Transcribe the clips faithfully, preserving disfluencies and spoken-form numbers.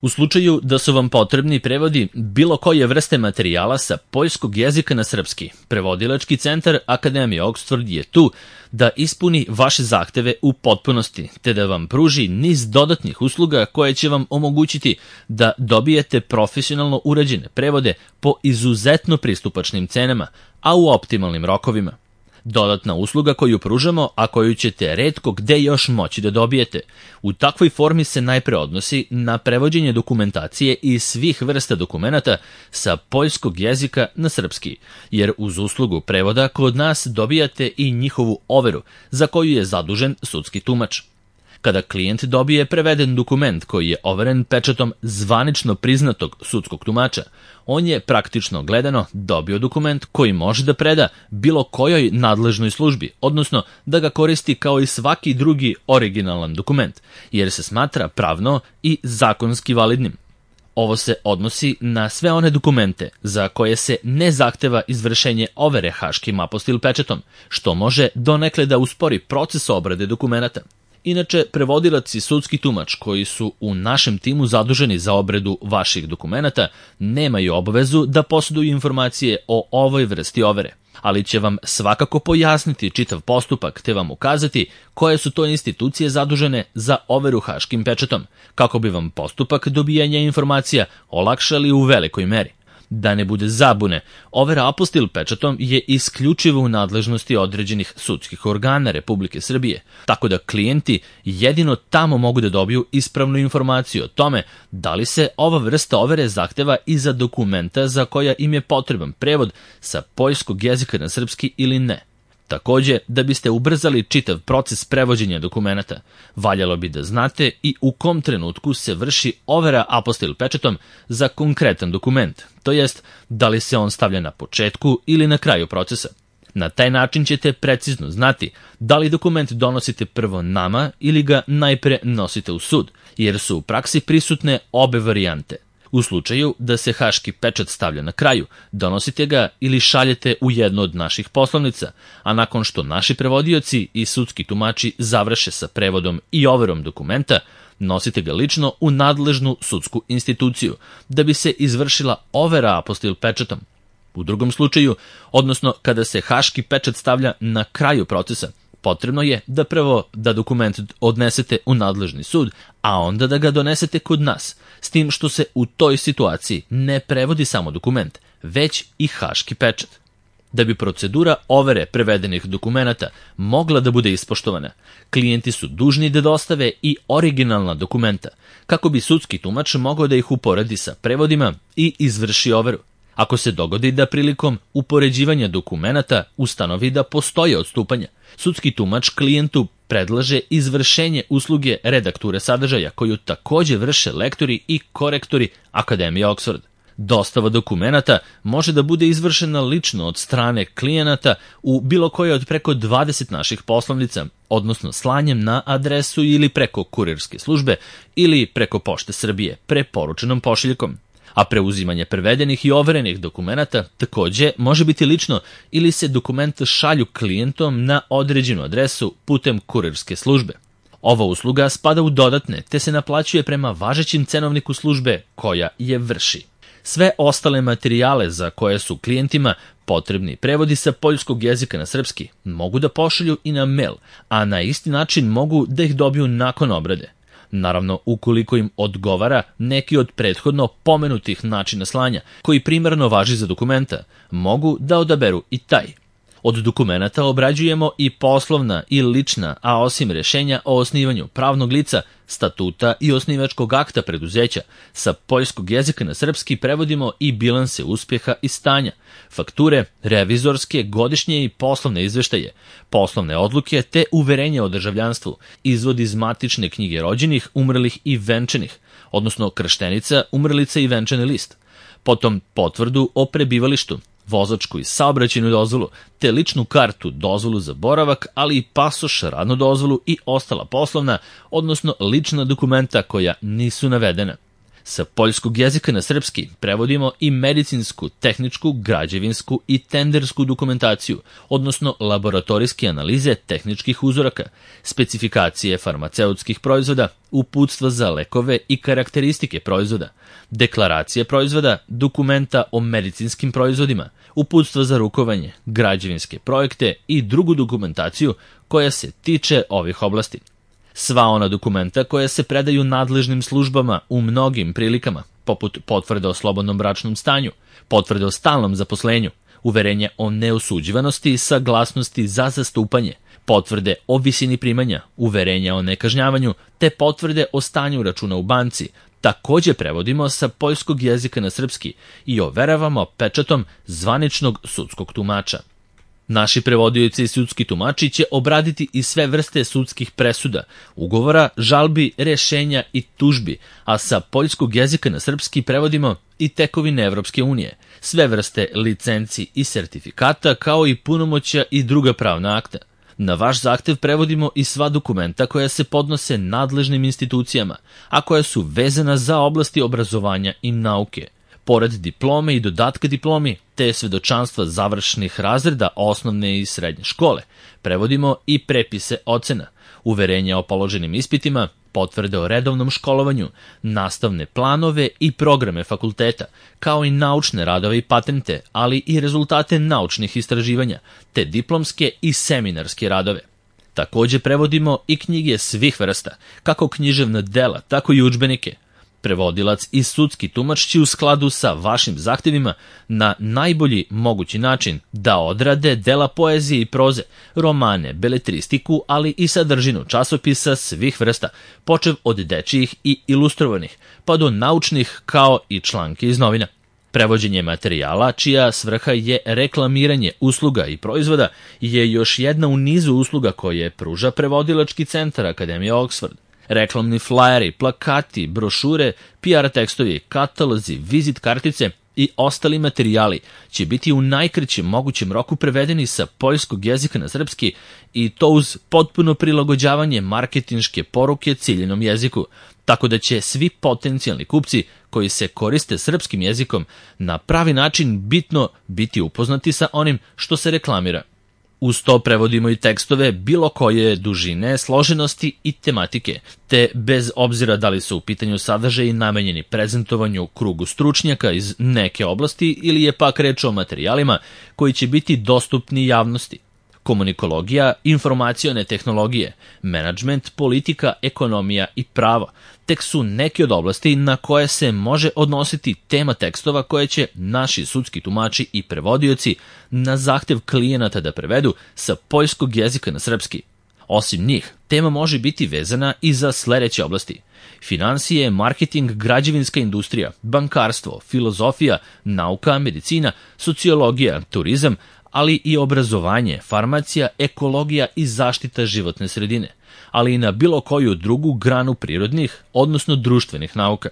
U slučaju da su vam potrebni prevodi bilo koje vrste materijala sa poljskog jezika na srpski, prevodilački centar Akademije Oxford je tu da ispuni vaše zahteve u potpunosti, te da vam pruži niz dodatnih usluga koje će vam omogućiti da dobijete profesionalno urađene prevode po izuzetno pristupačnim cenama, a u optimalnim rokovima. Dodatna usluga koju pružamo, a koju ćete retko gde još moći da dobijete. U takvoj formi se najpre odnosi na prevođenje dokumentacije i svih vrsta dokumenata sa poljskog jezika na srpski, jer uz uslugu prevoda kod nas dobijate i njihovu overu, za koju je zadužen sudski tumač. Kada klijent dobije preveden dokument koji je overen pečatom zvanično priznatog sudskog tumača, on je praktično gledano dobio dokument koji može da preda bilo kojoj nadležnoj službi, odnosno da ga koristi kao i svaki drugi originalan dokument, jer se smatra pravno i zakonski validnim. Ovo se odnosi na sve one dokumente za koje se ne zahteva izvršenje overe haškim apostil pečatom, što može donekle da uspori proces obrade dokumenata. Inače, prevodilac i sudski tumač koji su u našem timu zaduženi za obradu vaših dokumenata nemaju obavezu da posjeduju informacije o ovoj vrsti overe, ali će vam svakako pojasniti čitav postupak te vam ukazati koje su to institucije zadužene za overu haškim pečatom, kako bi vam postupak dobijanja informacija olakšali u velikoj meri. Da ne bude zabune, overa apostil pečatom je isključivo u nadležnosti određenih sudskih organa Republike Srbije, tako da klijenti jedino tamo mogu da dobiju ispravnu informaciju o tome da li se ova vrsta overe zahteva i za dokumenta za koja im je potreban prevod sa poljskog jezika na srpski ili ne. Takođe, da biste ubrzali čitav proces prevođenja dokumenata, valjalo bi da znate i u kom trenutku se vrši overa apostil pečatom za konkretan dokument, to jest da li se on stavlja na početku ili na kraju procesa. Na taj način ćete precizno znati da li dokument donosite prvo nama ili ga najpre nosite u sud, jer su u praksi prisutne obe varijante. U slučaju da se haški pečat stavlja na kraju, donosite ga ili šaljete u jednu od naših poslovnica, a nakon što naši prevodioci i sudski tumači završe sa prevodom i overom dokumenta, nosite ga lično u nadležnu sudsku instituciju, da bi se izvršila overa apostil pečatom. U drugom slučaju, odnosno kada se haški pečat stavlja na kraju procesa, potrebno je da prvo da dokument odnesete u nadležni sud, a onda da ga donesete kod nas, s tim što se u toj situaciji ne prevodi samo dokument, već i haški pečat. Da bi procedura overe prevedenih dokumenata mogla da bude ispoštovana, klijenti su dužni da dostave i originalna dokumenta, kako bi sudski tumač mogao da ih uporedi sa prevodima i izvrši overu. Ako se dogodi da prilikom upoređivanja dokumenata ustanovi da postoje odstupanja, sudski tumač klijentu predlaže izvršenje usluge redakture sadržaja koju takođe vrše lektori i korektori Akademije Oxford. Dostava dokumenata može da bude izvršena lično od strane klijenata u bilo koje od preko dvadeset naših poslovnica, odnosno slanjem na adresu ili preko kurirske službe ili preko Pošte Srbije preporučenom pošiljkom. A preuzimanje prevedenih i overenih dokumenata takođe može biti lično ili se dokumenta šalju klijentom na određenu adresu putem kurirske službe. Ova usluga spada u dodatne te se naplaćuje prema važećim cenovniku službe koja je vrši. Sve ostale materijale za koje su klijentima potrebni prevodi sa poljskog jezika na srpski mogu da pošalju i na mail, a na isti način mogu da ih dobiju nakon obrade. Naravno, ukoliko im odgovara neki od prethodno pomenutih načina slanja, koji primarno važi za dokumenta, mogu da odaberu i taj. Od dokumenata obrađujemo i poslovna i lična, a osim rešenja o osnivanju pravnog lica, statuta i osnivačkog akta preduzeća, sa poljskog jezika na srpski prevodimo i bilanse uspjeha i stanja, fakture, revizorske, godišnje i poslovne izveštaje, poslovne odluke te uverenje o državljanstvu, izvod iz matične knjige rođenih, umrlih i venčanih, odnosno krštenica, umrlica i venčani list, potom potvrdu o prebivalištu, vozačku i saobraćajnu dozvolu, te ličnu kartu, dozvolu za boravak, ali i pasoš, radnu dozvolu i ostala poslovna, odnosno lična dokumenta koja nisu navedena. Sa poljskog jezika na srpski prevodimo i medicinsku, tehničku, građevinsku i tendersku dokumentaciju, odnosno laboratorijske analize tehničkih uzoraka, specifikacije farmaceutskih proizvoda, uputstva za lekove i karakteristike proizvoda, deklaracije proizvoda, dokumenta o medicinskim proizvodima, uputstva za rukovanje, građevinske projekte i drugu dokumentaciju koja se tiče ovih oblasti. Sva ona dokumenta koja se predaju nadležnim službama u mnogim prilikama, poput potvrde o slobodnom bračnom stanju, potvrde o stalnom zaposlenju, uverenja o neosuđivanosti i saglasnosti za zastupanje, potvrde o visini primanja, uverenja o nekažnjavanju, te potvrde o stanju računa u banci, takođe prevodimo sa poljskog jezika na srpski i overavamo pečatom zvaničnog sudskog tumača. Naši prevodioci i sudski tumači će obraditi i sve vrste sudskih presuda, ugovora, žalbi, rešenja i tužbi, a sa poljskog jezika na srpski prevodimo i tekovine Evropske unije, sve vrste licenci i sertifikata, kao i punomoćja i druga pravna akta. Na vaš zahtev prevodimo i sva dokumenta koja se podnose nadležnim institucijama, a koja su vezana za oblasti obrazovanja i nauke. Pored diplome i dodatka diplomi, te svedočanstva završnih razreda osnovne i srednje škole, prevodimo i prepise ocena, uverenja o položenim ispitima, potvrde o redovnom školovanju, nastavne planove i programe fakulteta, kao i naučne radove i patente, ali i rezultate naučnih istraživanja, te diplomske i seminarske radove. Takođe prevodimo i knjige svih vrsta, kako književna dela, tako i udžbenike. Prevodilac i sudski tumač će u skladu sa vašim zahtevima na najbolji mogući način da odrade dela poezije i proze, romane, beletristiku, ali i sadržinu časopisa svih vrsta, počev od dečijih i ilustrovanih, pa do naučnih kao i članke iz novina. Prevođenje materijala, čija svrha je reklamiranje usluga i proizvoda, je još jedna u nizu usluga koje pruža prevodilački centar Akademije Oxford. Reklamni flajeri, plakati, brošure, P R tekstovi, katalozi, vizit kartice i ostali materijali će biti u najkraćem mogućem roku prevedeni sa poljskog jezika na srpski i to uz potpuno prilagođavanje marketinške poruke ciljenom jeziku, tako da će svi potencijalni kupci koji se koriste srpskim jezikom na pravi način bitno biti upoznati sa onim što se reklamira. Uz to prevodimo i tekstove bilo koje dužine, složenosti i tematike, te bez obzira da li su u pitanju sadržaji namenjeni prezentovanju krugu stručnjaka iz neke oblasti ili je pak reč o materijalima koji će biti dostupni javnosti. Komunikologija, informacione tehnologije, menadžment, politika, ekonomija i pravo tek su neke od oblasti na koje se može odnositi tema tekstova koje će naši sudski tumači i prevodioci na zahtev klijenata da prevedu sa poljskog jezika na srpski. Osim njih, tema može biti vezana i za sledeće oblasti: finansije, marketing, građevinska industrija, bankarstvo, filozofija, nauka, medicina, sociologija, turizam, ali i obrazovanje, farmacija, ekologija i zaštita životne sredine, ali i na bilo koju drugu granu prirodnih, odnosno društvenih nauka.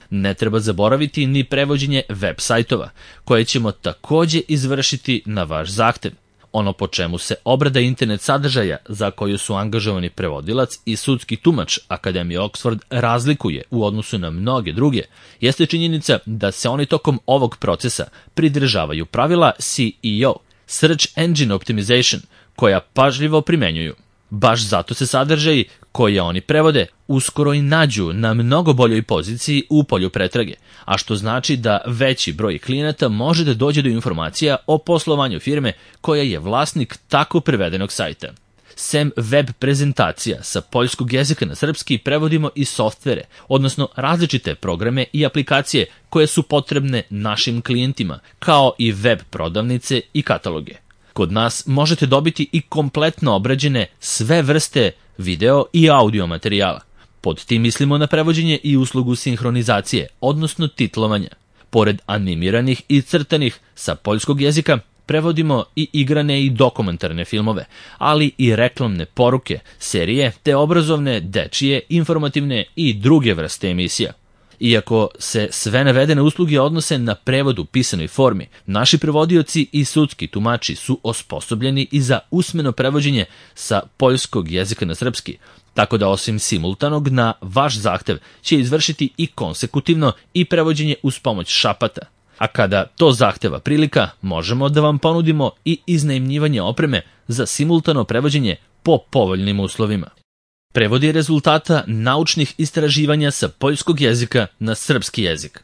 Ne treba zaboraviti ni prevođenje web sajtova, koje ćemo takođe izvršiti na vaš zahtev. Ono po čemu se obrada internet sadržaja za koju su angažovani prevodilac i sudski tumač Akademije Oxford razlikuje u odnosu na mnoge druge, jeste činjenica da se oni tokom ovog procesa pridržavaju pravila S E O, Search Engine Optimization, koja pažljivo primenjuju. Baš zato se sadržaji koje oni prevode uskoro i nađu na mnogo boljoj poziciji u polju pretrage, a što znači da veći broj klijenata može da dođe do informacija o poslovanju firme koja je vlasnik tako prevedenog sajta. Sem web prezentacija sa poljskog jezika na srpski prevodimo i softvere, odnosno različite programe i aplikacije koje su potrebne našim klijentima, kao i web prodavnice i kataloge. Kod nas možete dobiti i kompletno obrađene sve vrste video i audio materijala. Pod tim mislimo na prevođenje i uslugu sinhronizacije, odnosno titlovanja. Pored animiranih i crtanih sa poljskog jezika, prevodimo i igrane i dokumentarne filmove, ali i reklamne poruke, serije te obrazovne, dečije, informativne i druge vrste emisija. Iako se sve navedene usluge odnose na prevod u pisanoj formi, naši prevodioci i sudski tumači su osposobljeni i za usmeno prevođenje sa poljskog jezika na srpski, tako da osim simultanog na vaš zahtev će izvršiti i konsekutivno i prevođenje uz pomoć šapata. A kada to zahteva prilika, možemo da vam ponudimo i iznajmljivanje opreme za simultano prevođenje po povoljnim uslovima. Prevodi rezultata naučnih istraživanja sa poljskog jezika na srpski jezik.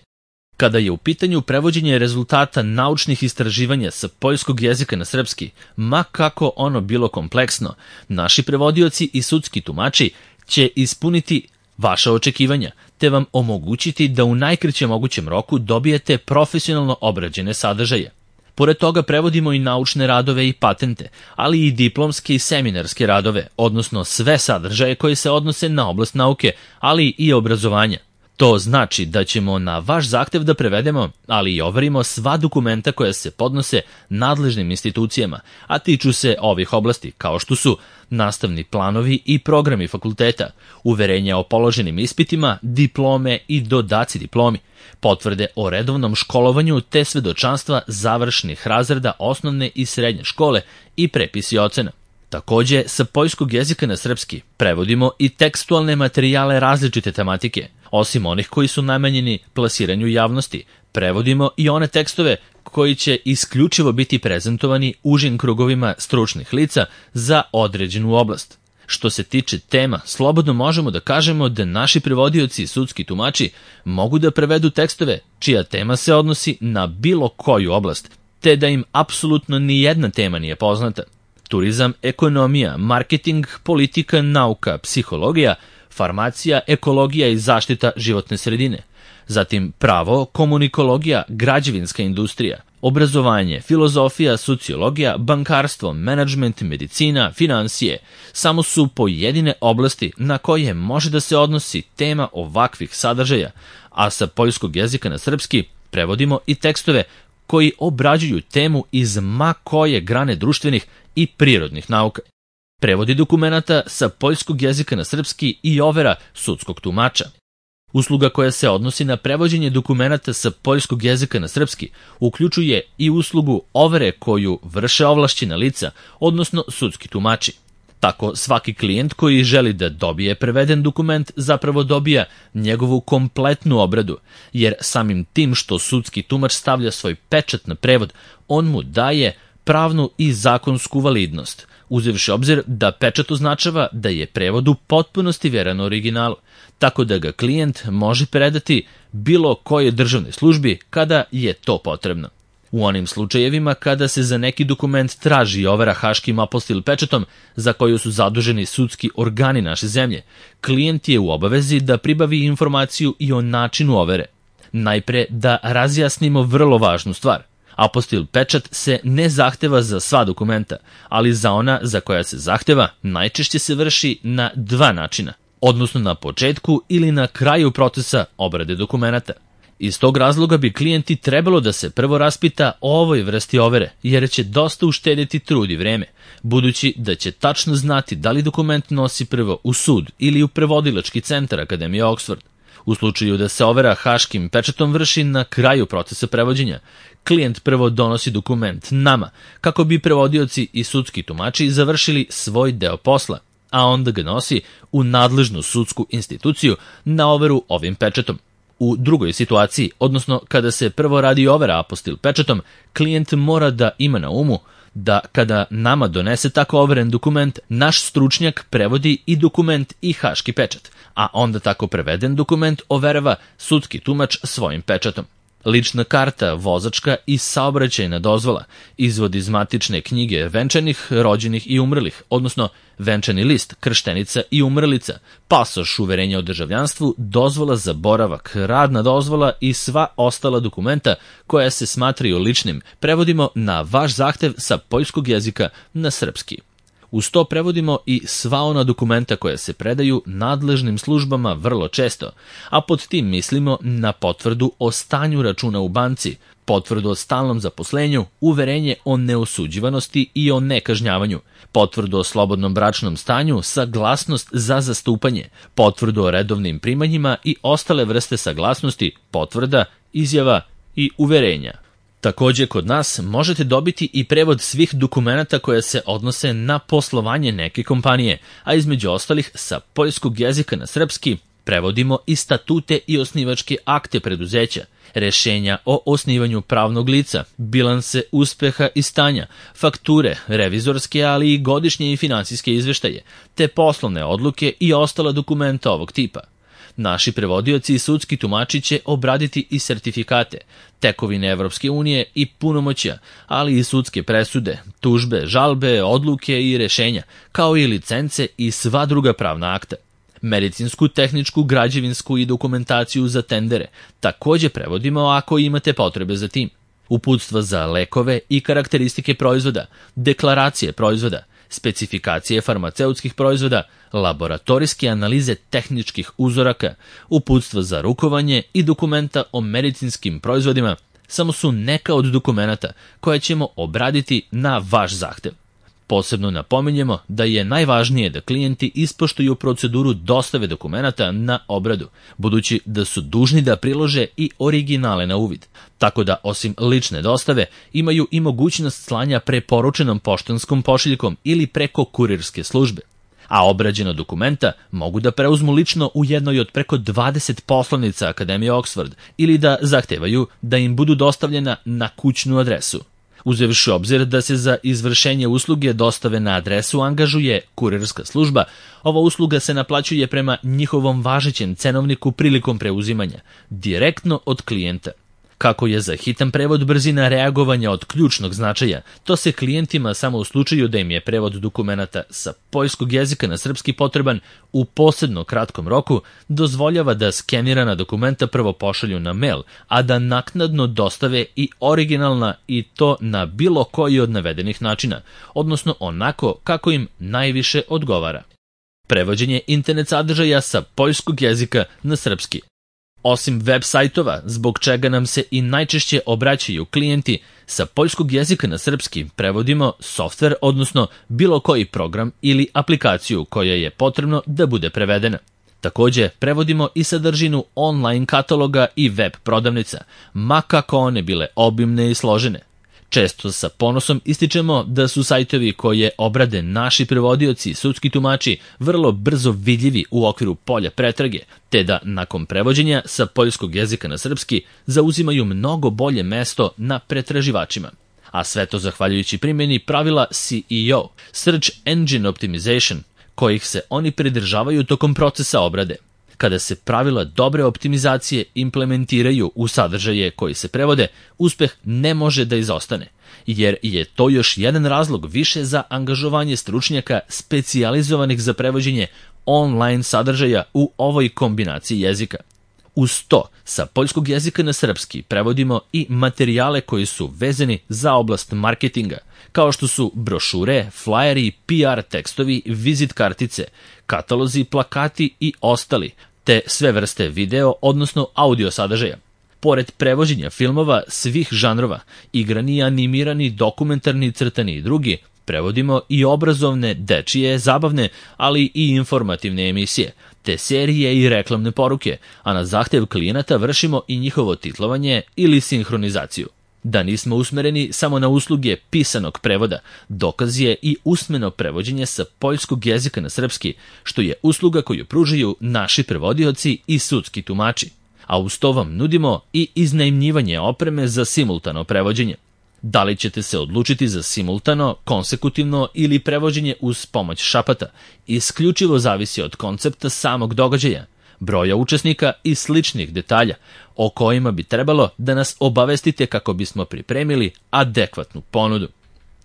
Kada je u pitanju prevođenje rezultata naučnih istraživanja sa poljskog jezika na srpski, ma kako ono bilo kompleksno, naši prevodioci i sudski tumači će ispuniti vaša očekivanja, te vam omogućiti da u najkraćem mogućem roku dobijete profesionalno obrađene sadržaje. Pored toga prevodimo i naučne radove i patente, ali i diplomske i seminarske radove, odnosno sve sadržaje koje se odnose na oblast nauke, ali i obrazovanja. To znači da ćemo na vaš zahtev da prevedemo, ali i overimo sva dokumenta koja se podnose nadležnim institucijama, a tiču se ovih oblasti, kao što su nastavni planovi i programi fakulteta, uverenja o položenim ispitima, diplome i dodaci diplomi, potvrde o redovnom školovanju te svedočanstva završnih razreda osnovne i srednje škole i prepisi ocena. Takođe, sa poljskog jezika na srpski prevodimo i tekstualne materijale različite tematike. Osim onih koji su namenjeni plasiranju javnosti, prevodimo i one tekstove koji će isključivo biti prezentovani užim krugovima stručnih lica za određenu oblast. Što se tiče tema, slobodno možemo da kažemo da naši prevodioci i sudski tumači mogu da prevedu tekstove čija tema se odnosi na bilo koju oblast, te da im apsolutno ni jedna tema nije poznata. Turizam, ekonomija, marketing, politika, nauka, psihologija, farmacija, ekologija i zaštita životne sredine. Zatim pravo, komunikologija, građevinska industrija, obrazovanje, filozofija, sociologija, bankarstvo, menadžment, medicina, finansije. Samo su pojedine oblasti na koje može da se odnosi tema ovakvih sadržaja, a sa poljskog jezika na srpski prevodimo i tekstove koji obrađuju temu iz ma koje grane društvenih i prirodnih nauka. Prevodi dokumenata sa poljskog jezika na srpski i overa sudskog tumača. Usluga koja se odnosi na prevođenje dokumenata sa poljskog jezika na srpski uključuje i uslugu overe koju vrše ovlašćena lica, odnosno sudski tumači. Tako svaki klijent koji želi da dobije preveden dokument zapravo dobija njegovu kompletnu obradu, jer samim tim što sudski tumač stavlja svoj pečat na prevod, on mu daje pravnu i zakonsku validnost, uzevši obzir da pečat označava da je prevod u potpunosti veran originalu, tako da ga klijent može predati bilo kojoj državnoj službi kada je to potrebno. U onim slučajevima kada se za neki dokument traži overa haškim apostil pečatom za koju su zaduženi sudski organi naše zemlje, klijent je u obavezi da pribavi informaciju i o načinu overe. Najpre da razjasnimo vrlo važnu stvar. Apostil pečat se ne zahteva za sva dokumenta, ali za ona za koja se zahteva najčešće se vrši na dva načina, odnosno na početku ili na kraju procesa obrade dokumenata. Iz tog razloga bi klijenti trebalo da se prvo raspita o ovoj vrsti overe, jer će dosta uštedjeti trud i vreme, budući da će tačno znati da li dokument nosi prvo u sud ili u prevodilački centar Akademije Oxford. U slučaju da se overa haškim pečatom vrši na kraju procesa prevođenja, klijent prvo donosi dokument nama, kako bi prevodioci i sudski tumači završili svoj deo posla, a onda ga nosi u nadležnu sudsku instituciju na overu ovim pečatom. U drugoj situaciji, odnosno kada se prvo radi overa apostil pečatom, klijent mora da ima na umu da kada nama donese tako overen dokument, naš stručnjak prevodi i dokument i haški pečat, a onda tako preveden dokument overava sudski tumač svojim pečatom. Lična karta, vozačka i saobraćajna dozvola, izvod iz matične knjige venčanih, rođenih i umrlih, odnosno venčani list, krštenica i umrlica, pasoš, uverenje o državljanstvu, dozvola za boravak, radna dozvola i sva ostala dokumenta koja se smatraju ličnim, prevodimo na vaš zahtev sa poljskog jezika na srpski. Uz to prevodimo i sva ona dokumenta koja se predaju nadležnim službama vrlo često, a pod tim mislimo na potvrdu o stanju računa u banci, potvrdu o stalnom zaposlenju, uverenje o neosuđivanosti i o nekažnjavanju, potvrdu o slobodnom bračnom stanju, saglasnost za zastupanje, potvrdu o redovnim primanjima i ostale vrste saglasnosti, potvrda, izjava i uverenja. Takođe, kod nas možete dobiti i prevod svih dokumenata koja se odnose na poslovanje neke kompanije, a između ostalih sa poljskog jezika na srpski prevodimo i statute i osnivačke akte preduzeća, rešenja o osnivanju pravnog lica, bilanse uspeha i stanja, fakture, revizorske, ali i godišnje i finansijske izveštaje, te poslovne odluke i ostala dokumenta ovog tipa. Naši prevodioci i sudski tumači će obraditi i sertifikate, tekovine Evropske unije i punomoćja, ali i sudske presude, tužbe, žalbe, odluke i rešenja, kao i licence i sva druga pravna akta. Medicinsku, tehničku, građevinsku i dokumentaciju za tendere takođe prevodimo ako imate potrebe za tim. Uputstva za lekove i karakteristike proizvoda, deklaracije proizvoda, specifikacije farmaceutskih proizvoda, laboratorijske analize tehničkih uzoraka, uputstva za rukovanje i dokumenta o medicinskim proizvodima samo su neka od dokumenata koje ćemo obraditi na vaš zahtev. Posebno napominjemo da je najvažnije da klijenti ispoštuju proceduru dostave dokumenata na obradu, budući da su dužni da prilože i originale na uvid, tako da osim lične dostave imaju i mogućnost slanja preporučenom poštanskom pošiljkom ili preko kurirske službe. A obrađena dokumenta mogu da preuzmu lično u jednoj od preko dvadeset poslovnica Akademije Oxford ili da zahtevaju da im budu dostavljena na kućnu adresu. Uzevši obzir da se za izvršenje usluge dostave na adresu angažuje kurirska služba, ova usluga se naplaćuje prema njihovom važećem cenovniku prilikom preuzimanja, direktno od klijenta. Kako je za hitan prevod brzina reagovanja od ključnog značaja, to se klijentima samo u slučaju da im je prevod dokumenata sa poljskog jezika na srpski potreban u posebno kratkom roku dozvoljava da skenirana dokumenta prvo pošalju na mail, a da naknadno dostave i originalna i to na bilo koji od navedenih načina, odnosno onako kako im najviše odgovara. Prevođenje internet sadržaja sa poljskog jezika na srpski. Osim web sajtova, zbog čega nam se i najčešće obraćaju klijenti, sa poljskog jezika na srpski prevodimo softver, odnosno bilo koji program ili aplikaciju koja je potrebno da bude prevedena. Takođe, prevodimo i sadržinu online kataloga i web prodavnica, ma kako one bile obimne i složene. Često sa ponosom ističemo da su sajtovi koje obrade naši prevodioci i sudski tumači vrlo brzo vidljivi u okviru polja pretrage, te da nakon prevođenja sa poljskog jezika na srpski zauzimaju mnogo bolje mesto na pretraživačima. A sve to zahvaljujući primjeni pravila C E O, Search Engine Optimization, kojih se oni pridržavaju tokom procesa obrade. Kada se pravila dobre optimizacije implementiraju u sadržaje koji se prevode, uspeh ne može da izostane, jer je to još jedan razlog više za angažovanje stručnjaka specijalizovanih za prevođenje online sadržaja u ovoj kombinaciji jezika. Uz to, sa poljskog jezika na srpski prevodimo i materijale koji su vezani za oblast marketinga, kao što su brošure, flajeri, P R tekstovi, vizit kartice, katalozi, plakati i ostali, te sve vrste video, odnosno audio sadržaja. Pored prevođenja filmova svih žanrova, igrani, animirani, dokumentarni, crtani i drugi, prevodimo i obrazovne, dečije, zabavne, ali i informativne emisije, te serije i reklamne poruke, a na zahtev klijenata vršimo i njihovo titlovanje ili sinhronizaciju. Da nismo usmereni samo na usluge pisanog prevoda, dokaz je i usmeno prevođenje sa poljskog jezika na srpski, što je usluga koju pružaju naši prevodioci i sudski tumači. A uz to vam nudimo i iznajmljivanje opreme za simultano prevođenje. Da li ćete se odlučiti za simultano, konsekutivno ili prevođenje uz pomoć šapata, isključivo zavisi od koncepta samog događaja, broja učesnika i sličnih detalja, o kojima bi trebalo da nas obavestite kako bismo pripremili adekvatnu ponudu.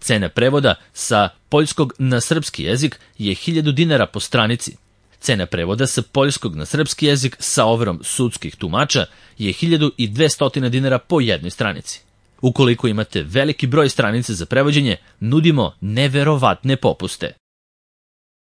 Cena prevoda sa poljskog na srpski jezik je hiljadu dinara po stranici. Cena prevoda sa poljskog na srpski jezik sa overom sudskih tumača je hiljadu dvesta dinara po jednoj stranici. Ukoliko imate veliki broj stranica za prevođenje, nudimo neverovatne popuste.